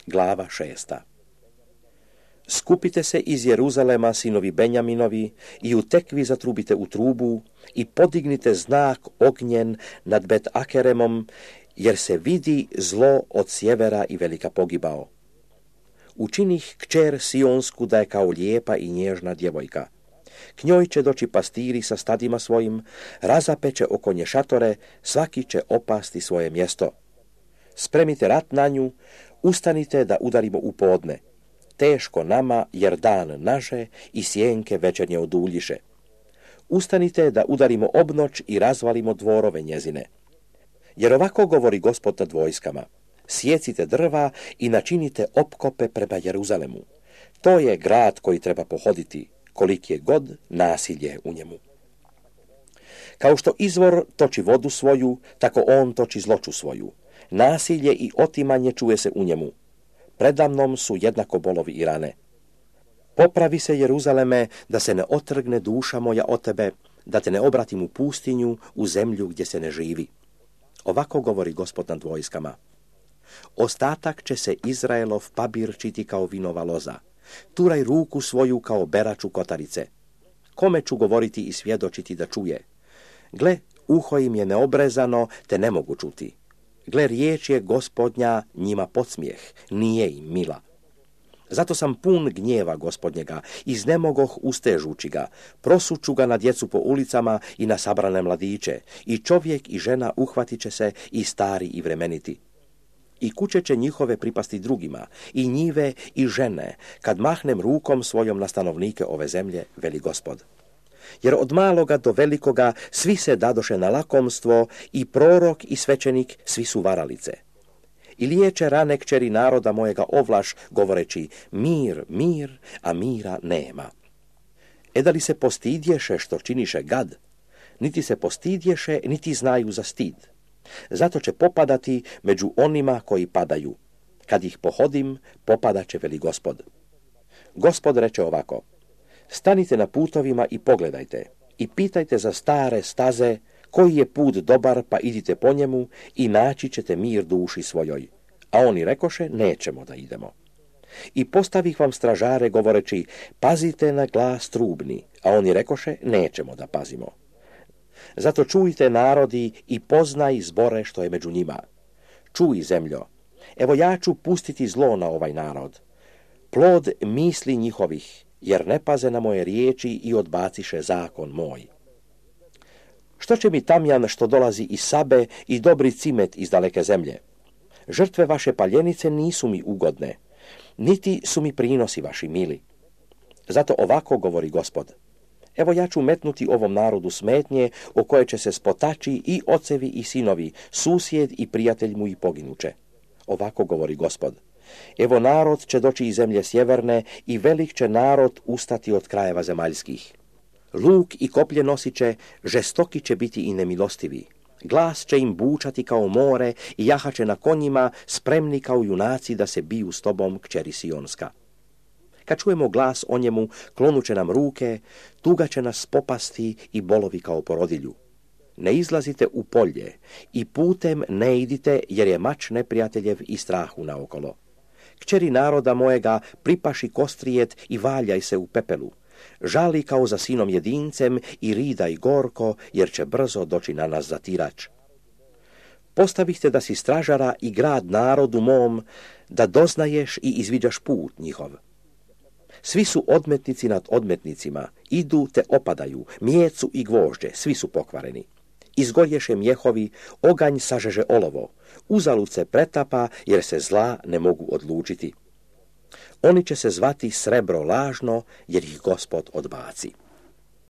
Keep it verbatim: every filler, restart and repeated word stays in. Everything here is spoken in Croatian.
Glava šesta. Skupite se iz Jeruzalema, sinovi Benjaminovi, i u tekvi zatrubite u trubu i podignite znak ognjen nad Bet Akeremom, jer se vidi zlo od sjevera i velika pogibao. Učinih kćer Sionsku da je kao lijepa i nježna djevojka. K njoj će doći pastiri sa stadima svojim, razapeće oko nje šatore, svaki će opasti svoje mjesto. Spremite rat na nju, ustanite da udarimo u podne. Teško nama, jer dan naže i sjenke večernje oduljiše. Ustanite da udarimo obnoć i razvalimo dvorove njezine. Jer ovako govori Gospod nad vojskama. Sjecite drva i načinite opkope prema Jeruzalemu. To je grad koji treba pohoditi, koliki je god nasilje u njemu. Kao što izvor toči vodu svoju, tako on toči zloću svoju. Nasilje i otimanje čuje se u njemu. Predamnom su jednako bolovi i rane. Popravi se, Jeruzaleme, da se ne otrgne duša moja od tebe, da te ne obratim u pustinju, u zemlju gdje se ne živi. Ovako govori Gospod nad vojskama. Ostatak će se Izraelov pabirčiti kao vinova loza. Turaj ruku svoju kao beraču kotarice. Kome ću govoriti i svjedočiti da čuje? Gle, uho im je neobrezano, te ne mogu čuti. Gle, riječ je Gospodnja njima podsmijeh, nije im mila. Zato sam pun gnjeva Gospodnjega, iznemogoh ustežući ga, prosuću ga na djecu po ulicama i na sabrane mladiće, i čovjek i žena uhvatit će se, i stari i vremeniti. I kuće će njihove pripasti drugima, i njive i žene, kad mahnem rukom svojom na stanovnike ove zemlje, veli Gospod. Jer od maloga do velikoga svi se dadoše na lakomstvo, i prorok i svećenik svi su varalice. I liječe rane kćeri naroda mojega ovlaš, govoreći mir, mir, a mira nema. E da li se postidješe što činiše gad? Niti se postidješe, niti znaju za stid. Zato će popadati među onima koji padaju. Kad ih pohodim, popadat će, veli Gospod. Gospod reče ovako. Stanite na putovima i pogledajte, i pitajte za stare staze, koji je put dobar, pa idite po njemu i naći ćete mir duši svojoj. A oni rekoše, nećemo da idemo. I postavih vam stražare govoreći, pazite na glas trubni, a oni rekoše, nećemo da pazimo. Zato čujte narodi i poznaj zbore što je među njima. Čuj, zemljo, evo ja ću pustiti zlo na ovaj narod. Plod misli njihovih, jer ne paze na moje riječi i odbaciše zakon moj. Što će mi tamjan što dolazi iz Sabe i dobri cimet iz daleke zemlje? Žrtve vaše paljenice nisu mi ugodne, niti su mi prinosi vaši mili. Zato ovako govori Gospod. Evo ja ću metnuti ovom narodu smetnje, o koje će se spotači i ocevi i sinovi, susjed i prijatelj mu i poginuće. Ovako govori Gospod. Evo narod će doći iz zemlje sjeverne i velik će narod ustati od krajeva zemaljskih. Luk i koplje nosit će, žestoki će biti i nemilostivi. Glas će im bučati kao more i jahaće na konjima, spremni kao junaci da se biju s tobom, kćeri Sionska. Kad čujemo glas o njemu, klonuće nam ruke, tuga će nas popasti i bolovi kao porodilju. Ne izlazite u polje i putem ne idite, jer je mač neprijateljev i strahu naokolo. Kćeri naroda mojega, pripaši kostrijet i valjaj se u pepelu. Žali kao za sinom jedincem i ridaj gorko, jer će brzo doći na nas zatirač. Postavihte da si stražara i grad narodu mom, da doznaješ i izviđaš put njihov. Svi su odmetnici nad odmetnicima, idu te opadaju, mjecu i gvožđe, svi su pokvareni. Izgorješe mjehovi, oganj sažeže olovo, uzalud se pretapa, jer se zla ne mogu odlučiti. Oni će se zvati srebro lažno, jer ih Gospod odbaci.